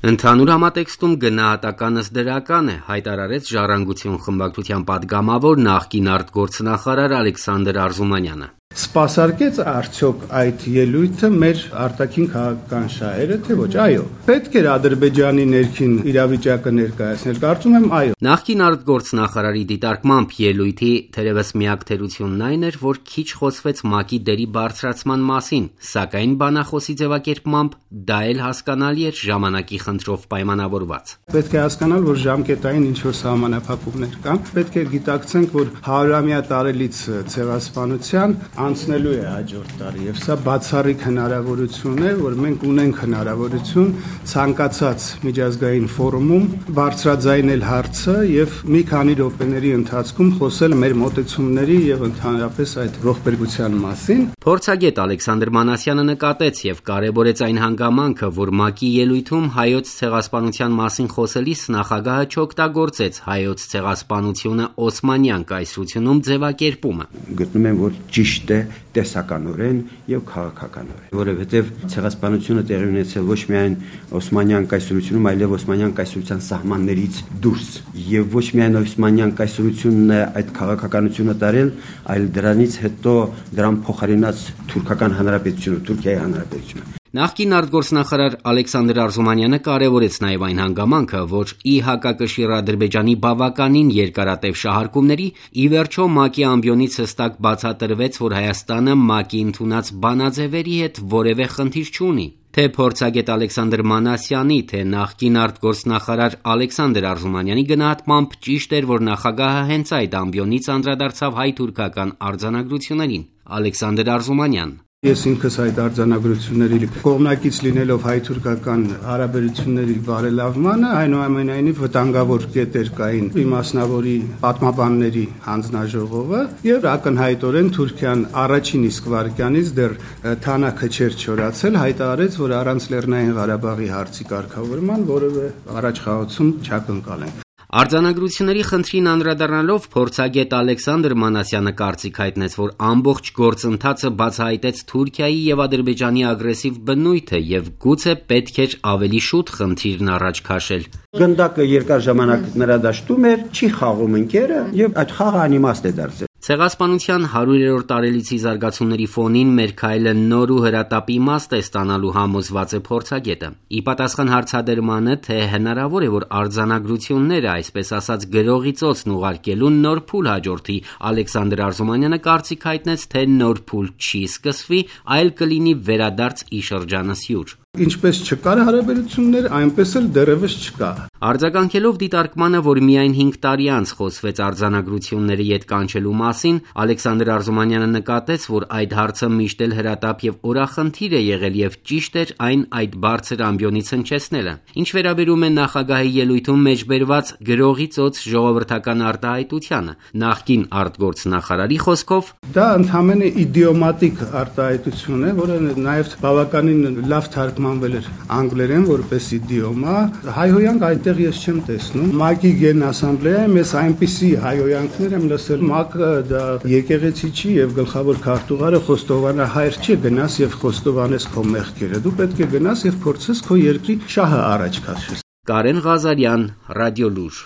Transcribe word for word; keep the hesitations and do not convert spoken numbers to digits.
Ընդհանուր համատեքստում գնահատականս դրական է, հայտարարեց Ժառանգություն խմբակցության պատգամավոր նախկին արտգործնախարար Ալեքսանդր Արզումանյանը։ Սպասարկեց արդյոք այդ ելույթը մեր արտաքին քաղաքական շահերը, թե ոչ, այո։ Պետք էր Ադրբեջանի ներքին իրավիճակը ներկայացնել, կարծում եմ այո։ Նախկին արտգործնախարարի դիտարկմամբ ելույթի թերևս միակ թերությունն այն էր, որ քիչ խոսվեց ՄԱԿ-ի դերի բարձրացման մասին, սակայն բանախոսի ձևակերպմամբ դա էլ հասկանալի էր ժամանակի խնդրով պայմանավորված։ Պետք է հասկանալ, որ ժամկետային ինչ-որ սահմանափակումներ կան, պետք է գիտակցենք, որ հարյուրամյա տարելից ցեղասպանության անցնելու է հաջորդ տարի, եւ սա բացառիկ հնարավորություն է, որ մենք ունենք հնարավորություն ցանկացած միջազգային ֆորումում բարձրաձայնել հարցը եւ մի քանի րոպեների ընթացքում խոսել մեր մոտեցումների եւ ընդհանրապես այդ ողբերգության մասին։ Փորձագետ Ալեքսանդր Մանասյանը նկատեց եւ կարեւորեց այն հանգամանքը, որ ՄԱԿ-ի ելույթում հայոց ցեղասպանության մասին խոսելիս նախագահը չօգտագործեց հայոց ցեղասպանությունը օսմանյան կայսրությունում ձևակերպումը։ Գտնում եմ, որ ճիշտ է տեսականորեն եւ քաղաքականորեն, որովհետեւ ցեղասպանությունը տեղի ունեցել ոչ միայն օսմանյան կայսրությունում, այլև օսմանյան կայսրության սահմաններից դուրս, եւ ոչ միայն օսմանյան կայսրությունն է այդ քաղաքականությունը տարել, այլ դրանից հետո դրան փոխարինած թուրքական հանրապետությունը, Թուրքիայի հանրապետությունը։ Նախկին արտգործնախարար Ալեքսանդր Արզումանյանը կարևորեց նաև այն հանգամանքը, որ ի հակակշիռ Ադրբեջանի բավականին երկարատև շահարկումների ի վերջո ՄԱԿ-ի ամբիոնից հստակ բացատրվեց, որ Հայաստանը ՄԱԿ-ի ընդունած բանաձևերի հետ որևէ խնդիր չունի։ Թե փորձագետ Ալեքսանդր Մանասյանի, թե նախկին արտգործնախարար Ալեքսանդր Արզումանյանի գնահատմամբ ճիշտ էր, որ նախագահը հենց այդ ամբիոնից անդրադարձավ հայ-թուրքական արձանագրություններին։ Ալեքսանդր Արզումանյան. Ես ինքս այդ արձանագրությունների կողմնակից լինելով հայ-թուրքական հարաբերությունների բարելավմանը, այնուամենայնիվ վտանգավոր կետեր կային իմասնավորի պատմաբանների հանձնաժողովը եւ ակնհայտորեն Թուրքիան առաջին իսկ վայրկյանից դեռ թանաքը չէր չորացել, հայտարարեց, որ առանց Լեռնային Ղարաբաղի հարցի կարգավորման որևէ առաջխաղացում չակնկալեն։ Արձանագրությունների խնդրին անդրադառնալով փորձագետ Ալեքսանդր Մանասյանը կարծիք հայտնեց, որ ամբողջ գործընթացը բացահայտեց Թուրքիայի եւ Ադրբեջանի ագրեսիվ բնույթը եւ գուցե պետք էր ավելի շուտ խնդիրն առաջ քաշել։ Գնդակը երկար ժամանակ նրա դաշտում էր, չի խաղում ընկերը եւ այդ խաղը անիմաստ է դարձել։ Ցեղասպանության հարյուրերորդ տարելիցի զարգացումների ֆոնին մեր քայլը նոր ու հրատապ իմաստ է ստանալու համոզված է փորձագետը։ Ի պատասխան հարցադրմանը, թե հնարավոր է, որ արձանագրությունները, այսպես ասած, գրողի ծոցն ուղարկելու նոր փուլ հաջորդի, Ալեքսանդր Արզումանյանը կարծիք հայտնեց, թե նոր փուլ չի սկսվի, այլ կլինի վերադարձ ի շրջանս յուր։ Ինչպես չկար հարաբերություններ, այնպես էլ դեռևս չկա։ Արձագանքելով դիտարկմանը, որ միայն հինգ տարի անց խոսվեց արձանագրությունների ետ կանչելու մասին, Ալեքսանդր Արզումանյանը նկատեց, որ այդ հարցը միշտ էլ հրատապ եւ օրախնդիր է եղել եւ ճիշտ էր այն այդ բարձր ամբիոնից հնչեցնելը։ Ինչ վերաբերում է նախագահի ելույթում մեջբերված գրողի ծոց ժողովրդական արտահայտությանը, նախկին արտգործնախարարի խոսքով դա ընդհանրապես իդիոմատիկ արտահայտություն է, որը նաեւ բավականին լավ թարգմանվել էր անգլերեն որպես իդիոմա, հայհոյանք այդտեղ ես չեմ տեսնում։ ՄԱԿ-ի գենասամբլեայում ես այնպիսի հայհոյանքներ եմ լսել, ՄԱԿ-ը դա եկեղեցի չի եւ գլխավոր քարտուղարը խոստովանահայր չի, գնաս եւ խոստովանես քո մեղքերը։ Դու պետք է գնաս եւ փորձես քո երկրի շահը առաջ քաշես։ Կարեն Ղազարյան, Ռադիոլուր։